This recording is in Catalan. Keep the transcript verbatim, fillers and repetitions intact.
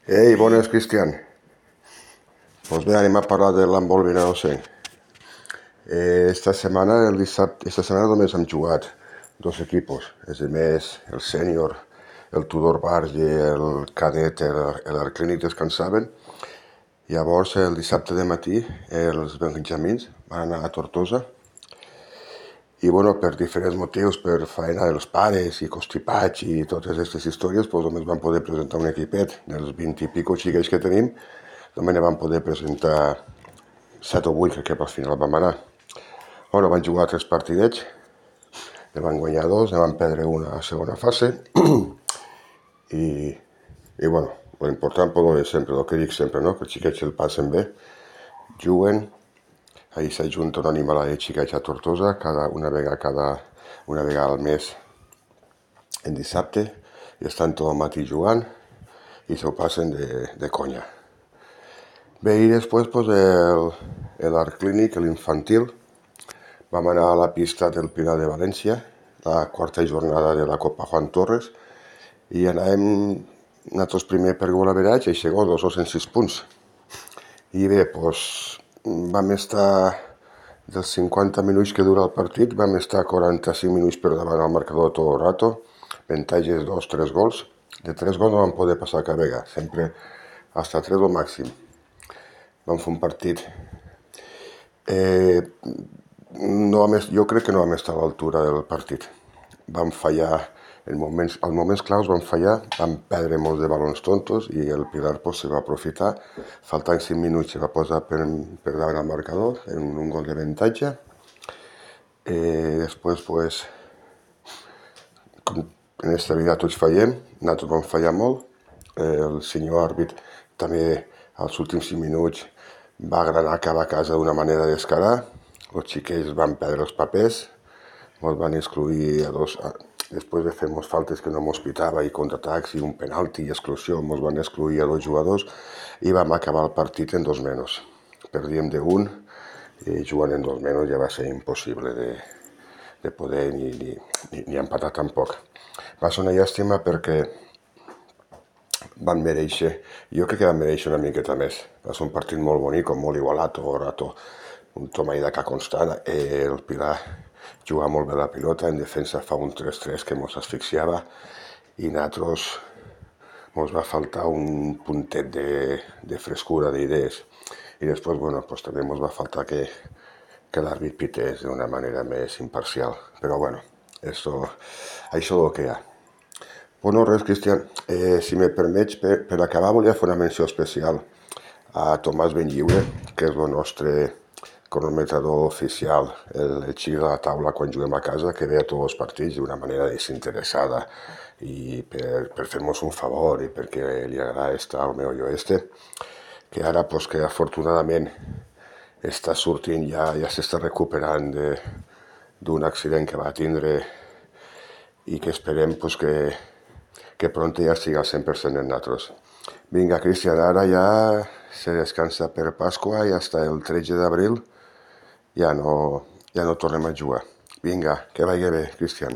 Ei, bones, Cristian. Doncs bé, anem a parlar de l'handbol vinarossenc. Eh, esta setmana, el dissabte, esta setmana només hem jugat dos equipos. És a més, el sènior, el Tudor Bars i el cadet, l'Arclínic descansaven. Llavors, el dissabte de matí, els benjamins van anar a Tortosa. I, bueno, per diferents motius, per faena dels pares i constipats i totes aquestes històries, doncs només van poder presentar un equipet dels vint i pico xiquets que tenim. Només ne van poder presentar set o vuit, que al final vam anar. Bueno, van jugar tres partidets, ne van guanyar dos, ne van perdre una a segona fase. I, i bueno, l'important però és sempre, el que dic sempre, no? Que els xiquets el passen bé, juguen. Ahí s'ajunta una animalada de xiquets a Tortosa, cada, una, vegada, cada, una vegada al mes en dissabte, i estan tot el matí jugant i s'ho passen de, de conya. Bé, i després pues, l'Arclínic, l'infantil, vam anar a la pista del Pilar de València, la quarta jornada de la Copa Juan Torres, i anàvem nosaltres primer per gol average i segon dos cents sis punts. I bé, doncs, vam estar dels cinquanta minuts que dura el partit, vam estar quaranta-cinc minuts per davant al marcador tot el rato, avantatges dos, tres gols. De tres gols no vam poder passar cap vegada, sempre hasta tres o màxim. Vam fer un partit. Eh, no vam, jo crec que no vam estar a l'altura del partit. Vam fallar, en moments, als moments claus vam fallar, vam perdre molts de balons tontos i el Pilar pues, se va aprofitar. Faltant cinc minuts se va posar per, per davant al marcador, en un gol d'avantatge. Eh, després, pues, com en aquesta vida tots fallem, nosaltres vam fallar molt. Eh, el senyor àrbit també als últims cinc minuts va agranar cap a casa d'una manera descarada. Els xiquets van perdre els papers, ens van excluir a dos... A, després de fer moltes faltes que no mos pitava i contraatacs i un penalti i exclusió, ens van excluir a dos jugadors i vam acabar el partit en dos menys. Perdíem d'un i jugant en dos menys ja va ser impossible de, de poder ni, ni, ni, ni empatar tampoc. Va ser una llàstima perquè van mereixer, jo crec que van mereixer una miqueta més. Va ser un partit molt bonic, molt igualat, tot el rato, un toma i daca constant. Eh, el Pilar jugava molt bé la pilota, en defensa fa un tres tres que mos asfixiava i nosaltres mos va faltar un puntet de, de frescura, d'idees. I després, bueno, pues també mos va faltar que, que l'àrbit pités d'una manera més imparcial. Però bueno, eso, això és el que hi ha. Bueno, res, Cristian, eh, si me permets, per, per acabar volia fer una menció especial a Tomàs Benlliure, que és el nostre cronometrador oficial, el, el xic de la taula quan juguem a casa, que ve a tots els partits d'una manera desinteressada i per, per fer-nos un favor i perquè li agrada estar al meu oeste, que ara, pues, que afortunadament està sortint, ja, ja s'està recuperant d'un accident que va tindre i que esperem pues, que, que pronto ja estigui al cent per cent en nosaltres. Vinga, Cristian, ara ja se descansa per Pasqua i fins el tretze d'abril ja no, ja no tornem a jugar. Vinga, que vagi bé, Cristian.